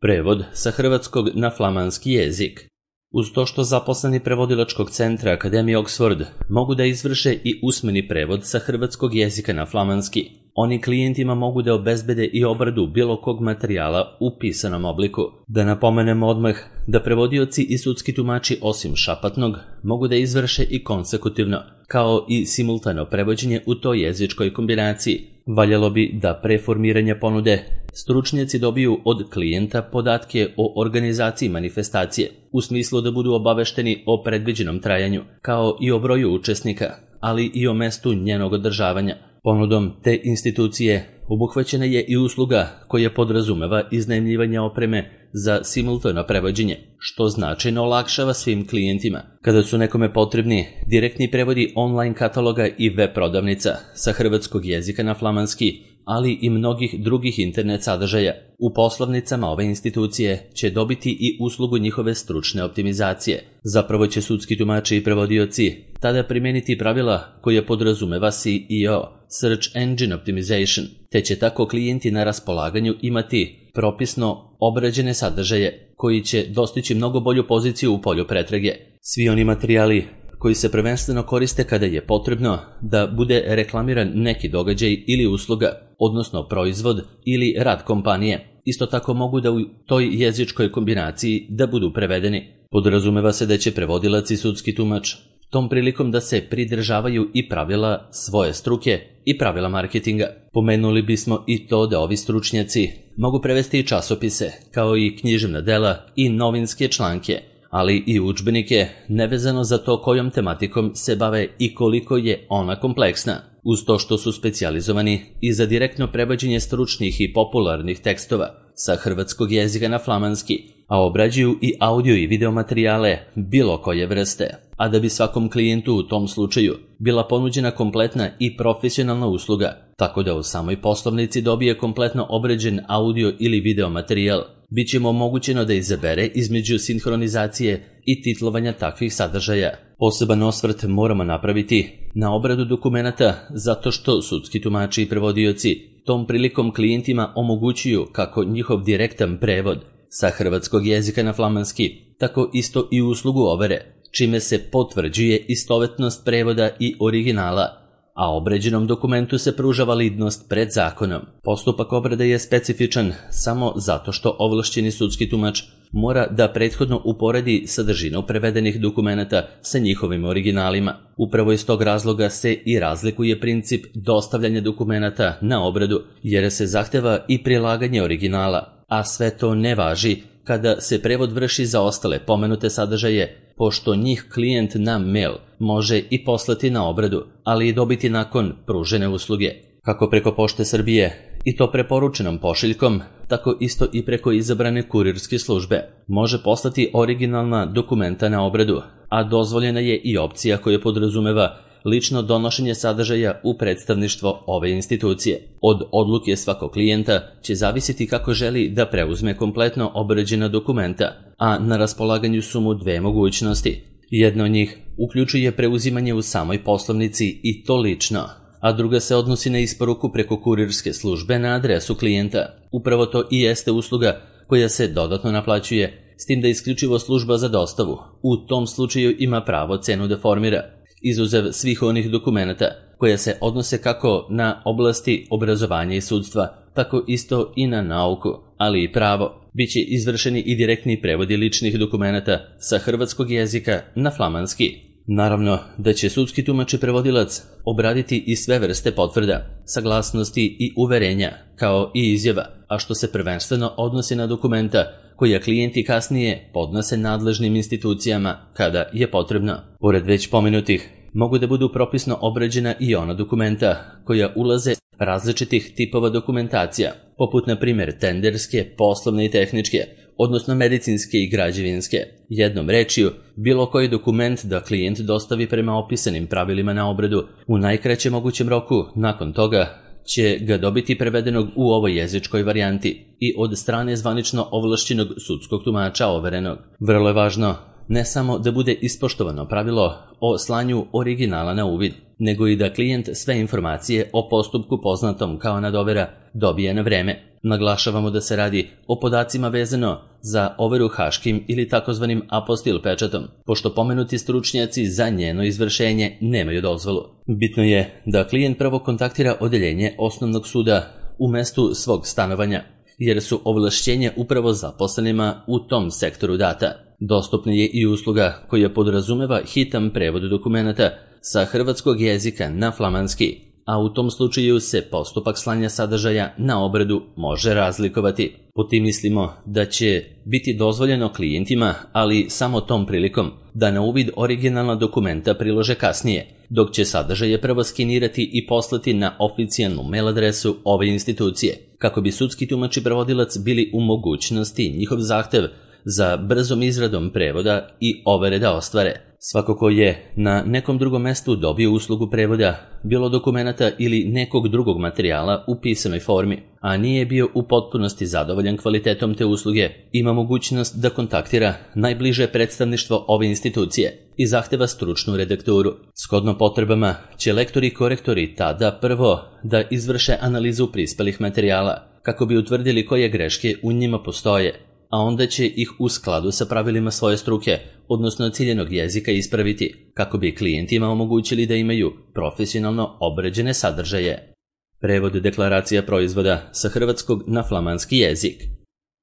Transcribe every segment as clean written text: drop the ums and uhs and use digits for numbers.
Prevod sa hrvatskog na flamanski jezik. Uz to što zaposleni prevodilačkog centra Akademije Oxford mogu da izvrše i usmeni prevod sa hrvatskog jezika na flamanski, oni klijentima mogu da obezbede i obradu bilo kog materijala u pisanom obliku. Da napomenemo odmah da prevodioci i sudski tumači osim šapatnog mogu da izvrše i konsekutivno, kao i simultano prevođenje u toj jezičkoj kombinaciji. Valjalo bi da pre formiranja ponude stručnjaci dobiju od klijenta podatke o organizaciji manifestacije, u smislu da budu obavešteni o predviđenom trajanju, kao i o broju učesnika, ali i o mestu njenog održavanja. Ponudom te institucije obuhvaćena je i usluga koja podrazumeva iznajmljivanje opreme za simultano prevođenje, što značajno olakšava svim klijentima. Kada su nekome potrebni direktni prevodi online kataloga i web prodavnica sa hrvatskog jezika na flamanski, ali i mnogih drugih internet sadržaja, u poslovnicama ove institucije će dobiti i uslugu njihove stručne optimizacije. Zapravo će sudski tumači i prevodioci tada primeniti pravila koje podrazumeva SEO, Search Engine Optimization, te će tako klijenti na raspolaganju imati propisno obrađene sadržaje koji će dostići mnogo bolju poziciju u polju pretrage. Svi oni materijali koji se prvenstveno koriste kada je potrebno da bude reklamiran neki događaj ili usluga, odnosno proizvod ili rad kompanije, isto tako mogu da u toj jezičkoj kombinaciji da budu prevedeni. Podrazumeva se da će prevodilac i sudski tumač tom prilikom da se pridržavaju i pravila svoje struke i pravila marketinga. Pomenuli bismo i to da ovi stručnjaci mogu prevesti i časopise, kao i književna dela i novinske članke, ali i udžbenike, nevezano za to kojom tematikom se bave i koliko je ona kompleksna. Uz to što su specijalizovani i za direktno prevođenje stručnih i popularnih tekstova sa hrvatskog jezika na flamanski, a obrađuju i audio i video materijale bilo koje vrste. A da bi svakom klijentu u tom slučaju bila ponuđena kompletna i profesionalna usluga, tako da u samoj poslovnici dobije kompletno obrađen audio ili video materijal, bit će mu omogućeno da izabere između sinhronizacije i titlovanja takvih sadržaja. Poseban osvrt moramo napraviti na obradu dokumenata zato što sudski tumači i prevodioci tom prilikom klijentima omogućuju kako njihov direktan prevod sa hrvatskog jezika na flamanski, tako isto i uslugu overe, čime se potvrđuje istovetnost prevoda i originala, a obrađenom dokumentu se pruža validnost pred zakonom. Postupak obrade je specifičan samo zato što ovlašćeni sudski tumač mora da prethodno uporedi sadržinu prevedenih dokumenata sa njihovim originalima. Upravo iz tog razloga se i razlikuje princip dostavljanja dokumenata na obradu, jer se zahteva i prilaganje originala, a sve to ne važi kada se prevod vrši za ostale pomenute sadržaje, pošto njih klijent na mail može i poslati na obradu, ali i dobiti nakon pružene usluge. Kako preko Pošte Srbije, i to preporučenom pošiljkom, tako isto i preko izabrane kurirske službe, može poslati originalna dokumenta na obradu, a dozvoljena je i opcija koja podrazumeva lično donošenje sadržaja u predstavništvo ove institucije. Od odluke svakog klijenta će zavisiti kako želi da preuzme kompletno obrađena dokumenta, a na raspolaganju su mu dve mogućnosti. Jedna od njih uključuje preuzimanje u samoj poslovnici i to lično, a druga se odnosi na isporuku preko kurirske službe na adresu klijenta. Upravo to i jeste usluga koja se dodatno naplaćuje, s tim da isključivo služba za dostavu u tom slučaju ima pravo cenu da formira, izuzev svih onih dokumenata koja se odnose kako na oblasti obrazovanja i sudstva, tako isto i na nauku, ali i pravo. Biće izvršeni i direktni prevodi ličnih dokumenata sa hrvatskog jezika na flamanski. Naravno da će sudski tumač i prevodilac obraditi i sve vrste potvrda, saglasnosti i uverenja, kao i izjava, a što se prvenstveno odnosi na dokumenta koja klijenti kasnije podnose nadležnim institucijama kada je potrebno. Pored već pomenutih, mogu da budu propisno obrađena i ona dokumenta koja ulaze različitih tipova dokumentacija, poput na primjer tenderske, poslovne i tehničke, odnosno medicinske i građevinske. Jednom rečju, bilo koji dokument da klijent dostavi prema opisanim pravilima na obradu u najkraćem mogućem roku, nakon toga će ga dobiti prevedenog u ovoj jezičkoj varijanti i od strane zvanično ovlašćenog sudskog tumača overenog. Vrlo je važno ne samo da bude ispoštovano pravilo o slanju originala na uvid, nego i da klijent sve informacije o postupku poznatom kao nadovera dobije na vreme. Naglašavamo da se radi o podacima vezano za overu haškim ili takozvanim apostil pečatom, pošto pomenuti stručnjaci za njeno izvršenje nemaju dozvolu. Bitno je da klijent prvo kontaktira odeljenje osnovnog suda u mestu svog stanovanja, jer su ovlašćenja upravo zaposlenima u tom sektoru data. Dostupna je i usluga koja podrazumeva hitan prevod dokumenata sa hrvatskog jezika na flamanski, a u tom slučaju se postupak slanja sadržaja na obradu može razlikovati. Po tim mislimo da će biti dozvoljeno klijentima, ali samo tom prilikom, da na uvid originalna dokumenta prilože kasnije, dok će sadržaje prvo skenirati i poslati na oficijalnu mail adresu ove institucije, kako bi sudski tumač i prevodilac bili u mogućnosti njihov zahtev za brzom izradom prevoda i overe da ostvare. Svako ko je na nekom drugom mestu dobio uslugu prevoda, bilo dokumenata ili nekog drugog materijala u pisanoj formi, a nije bio u potpunosti zadovoljan kvalitetom te usluge, ima mogućnost da kontaktira najbliže predstavništvo ove institucije i zahteva stručnu redakturu. Shodno potrebama će lektori i korektori tada prvo da izvrše analizu prispelih materijala, kako bi utvrdili koje greške u njima postoje, a onda će ih u skladu sa pravilima svoje struke, odnosno ciljenog jezika, ispraviti, kako bi klijentima omogućili da imaju profesionalno obrađene sadržaje. Prevod deklaracija proizvoda sa hrvatskog na flamanski jezik.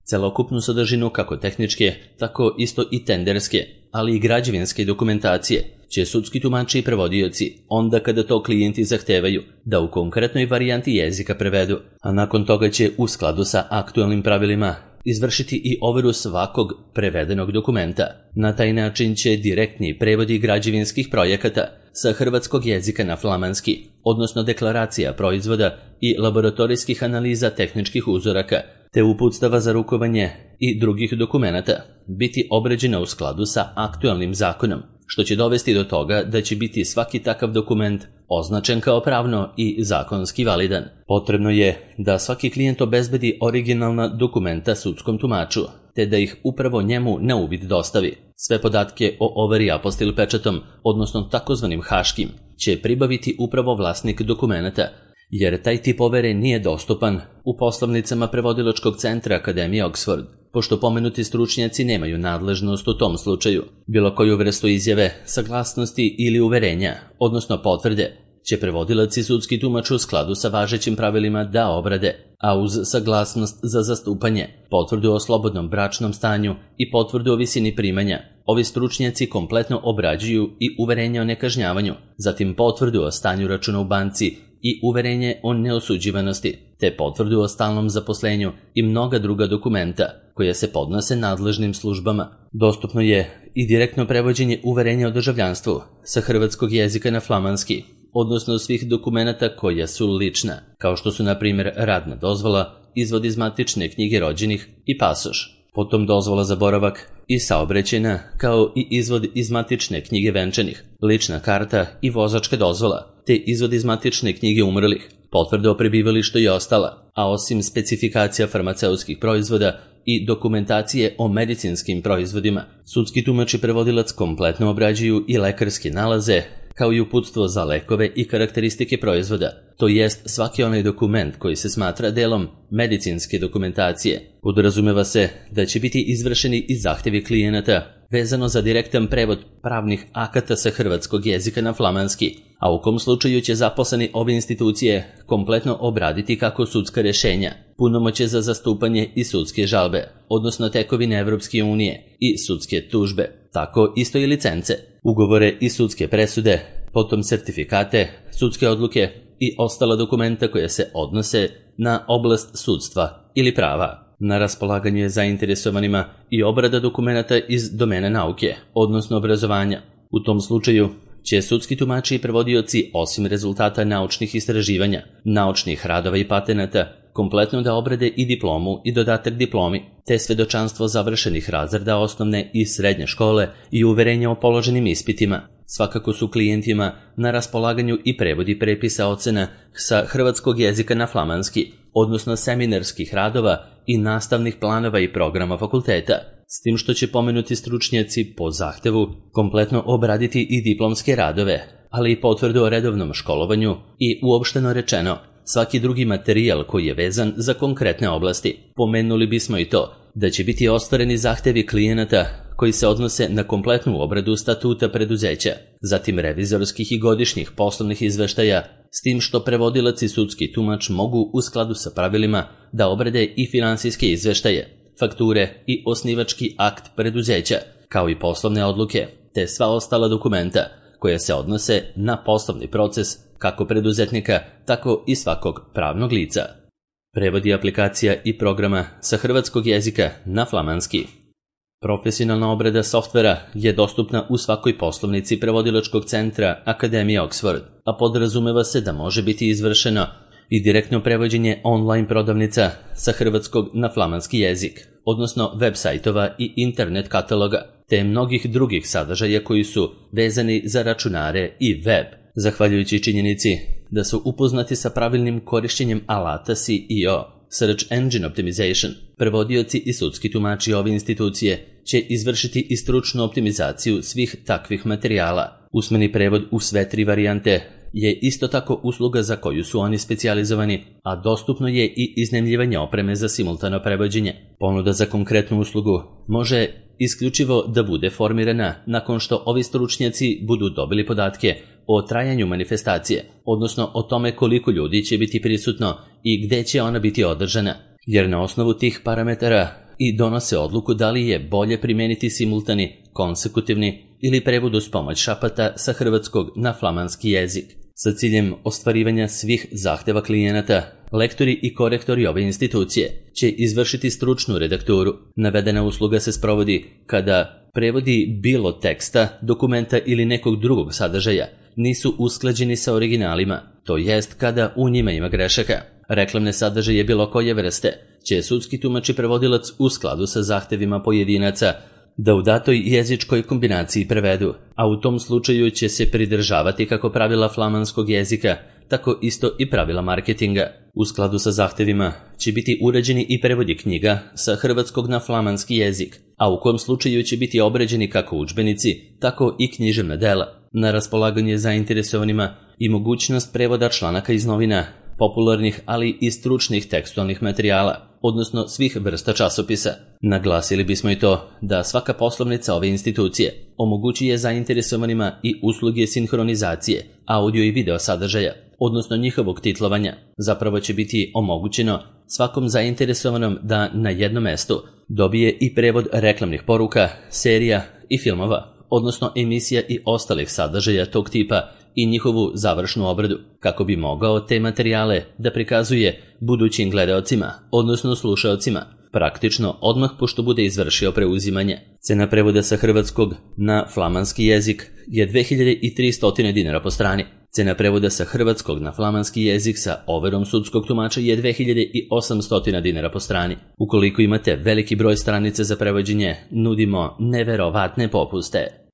Celokupnu sadržinu kako tehničke, tako isto i tenderske, ali i građevinske dokumentacije će sudski tumači i prevodioci, onda kada to klijenti zahtevaju, da u konkretnoj varijanti jezika prevedu, a nakon toga će u skladu sa aktualnim pravilima izvršiti i overu svakog prevedenog dokumenta. Na taj način će direktni prevodi građevinskih projekata sa hrvatskog jezika na flamanski, odnosno deklaracija proizvoda i laboratorijskih analiza tehničkih uzoraka, te uputstava za rukovanje i drugih dokumenata, biti obrađena u skladu sa aktualnim zakonom, što će dovesti do toga da će biti svaki takav dokument označen kao pravno i zakonski validan. Potrebno je da svaki klijent obezbedi originalna dokumenta sudskom tumaču, te da ih upravo njemu na uvid dostavi. Sve podatke o overi apostil pečatom, odnosno takozvanim haškim, će pribaviti upravo vlasnik dokumenata, jer taj tip overe nije dostupan u poslovnicama prevodilačkog centra Akademije Oxford, pošto pomenuti stručnjaci nemaju nadležnost u tom slučaju. Bilo koju vrstu izjave, saglasnosti ili uverenja, odnosno potvrde, će prevodilac i sudski tumač u skladu sa važećim pravilima da obrade, a uz saglasnost za zastupanje, potvrdu o slobodnom bračnom stanju i potvrdu o visini primanja, ovi stručnjaci kompletno obrađuju i uverenje o nekažnjavanju, zatim potvrdu o stanju računa u banci i uverenje o neosuđivanosti, te potvrdu o stalnom zaposlenju i mnoga druga dokumenta koja se podnose nadležnim službama. Dostupno je i direktno prevođenje uverenja o državljanstvu sa hrvatskog jezika na flamanski, odnosno svih dokumenata koja su lična, kao što su na primjer radna dozvola, izvod iz matične knjige rođenih i pasoš. Potom dozvola za boravak i saobraćajna, kao i izvod iz matične knjige venčanih, lična karta i vozačka dozvola, te izvod iz matične knjige umrlih, potvrda o prebivalištu i ostala, a osim specifikacija farmaceutskih proizvoda i dokumentacije o medicinskim proizvodima, sudski tumač i prevodilac kompletno obrađuju i lekarske nalaze, kao i uputstvo za lekove i karakteristike proizvoda, to jest svaki onaj dokument koji se smatra delom medicinske dokumentacije. Podrazumeva se da će biti izvršeni i zahtjevi klijenata vezano za direktan prevod pravnih akata sa hrvatskog jezika na flamanski, a u kom slučaju će zaposleni ove institucije kompletno obraditi kako sudska rješenja, punomoćje za zastupanje i sudske žalbe, odnosno tekovine Evropske unije i sudske tužbe, tako isto i licence, ugovore i sudske presude, potom sertifikate, sudske odluke i ostala dokumenta koja se odnose na oblast sudstva ili prava. Na raspolaganju je zainteresovanima i obrada dokumenata iz domene nauke, odnosno obrazovanja. U tom slučaju će sudski tumači i prevodioci, osim rezultata naučnih istraživanja, naučnih radova i patenata, kompletno da obrade i diplomu i dodatak diplomi, te svedočanstvo završenih razreda osnovne i srednje škole i uverenja o položenim ispitima. Svakako su klijentima na raspolaganju i prevodi prepisa ocena sa hrvatskog jezika na flamanski, odnosno seminarskih radova i nastavnih planova i programa fakulteta, s tim što će pomenuti stručnjaci po zahtevu kompletno obraditi i diplomske radove, ali i potvrdu o redovnom školovanju i, uopšteno rečeno, svaki drugi materijal koji je vezan za konkretne oblasti. Pomenuli bismo i to da će biti ostvareni zahtevi klijenata koji se odnose na kompletnu obradu statuta preduzeća, zatim revizorskih i godišnjih poslovnih izveštaja, s tim što prevodilac i sudski tumač mogu u skladu sa pravilima da obrade i finansijske izveštaje, fakture i osnivački akt preduzeća, kao i poslovne odluke, te sva ostala dokumenta koja se odnose na poslovni proces kako preduzetnika, tako i svakog pravnog lica. Prevodi aplikacija i programa sa hrvatskog jezika na flamanski. Profesionalna obrada softvera je dostupna u svakoj poslovnici prevodilačkog centra Akademije Oxford, a podrazumeva se da može biti izvršeno i direktno prevođenje online prodavnica sa hrvatskog na flamanski jezik, odnosno web sajtova i internet kataloga, te mnogih drugih sadržaja koji su vezani za računare i web. Zahvaljujući činjenici da su upoznati sa pravilnim korišćenjem alata SEO, Search Engine Optimization, prevodioci i sudski tumači ove institucije će izvršiti i stručnu optimizaciju svih takvih materijala. Usmeni prevod u sve 3 varijante je isto tako usluga za koju su oni specijalizovani, a dostupno je i iznajmljivanje opreme za simultano prevođenje. Ponuda za konkretnu uslugu može isključivo da bude formirana nakon što ovi stručnjaci budu dobili podatke o trajanju manifestacije, odnosno o tome koliko ljudi će biti prisutno i gde će ona biti održana, jer na osnovu tih parametara i donose odluku da li je bolje primijeniti simultani, konsekutivni ili prevod uz pomoć šapata sa hrvatskog na flamanski jezik. Sa ciljem ostvarivanja svih zahteva klijenata, lektori i korektori ove institucije će izvršiti stručnu redakturu. Navedena usluga se sprovodi kada prevodi bilo teksta, dokumenta ili nekog drugog sadržaja nisu usklađeni sa originalima, to jest kada u njima ima grešaka. Reklamne sadržaje bilo koje vrste će sudski tumač i prevodilac u skladu sa zahtevima pojedinaca da u datoj jezičkoj kombinaciji prevedu, a u tom slučaju će se pridržavati kako pravila flamanskog jezika, tako isto i pravila marketinga. U skladu sa zahtevima će biti uređeni i prevodi knjiga sa hrvatskog na flamanski jezik, a u kom slučaju će biti obrađeni kako udžbenici, tako i književna dela. Na raspolaganje zainteresovanima i mogućnost prevoda članaka iz novina, popularnih ali i stručnih tekstualnih materijala, odnosno svih vrsta časopisa. Naglasili bismo i to da svaka poslovnica ove institucije omogućuje zainteresovanima i usluge sinhronizacije, audio i video sadržaja, odnosno njihovog titlovanja. Zapravo će biti omogućeno svakom zainteresovanom da na jednom mestu dobije i prevod reklamnih poruka, serija i filmova, odnosno emisija i ostalih sadržaja tog tipa i njihovu završnu obradu, kako bi mogao te materijale da prikazuje budućim gledaocima, odnosno slušaocima, praktično odmah pošto bude izvršio preuzimanje. Cena prevoda sa hrvatskog na flamanski jezik je 2300 dinara po strani. Cena prevoda sa hrvatskog na flamanski jezik sa overom sudskog tumača je 2800 dinara po strani. Ukoliko imate veliki broj stranica za prevođenje, nudimo neverovatne popuste.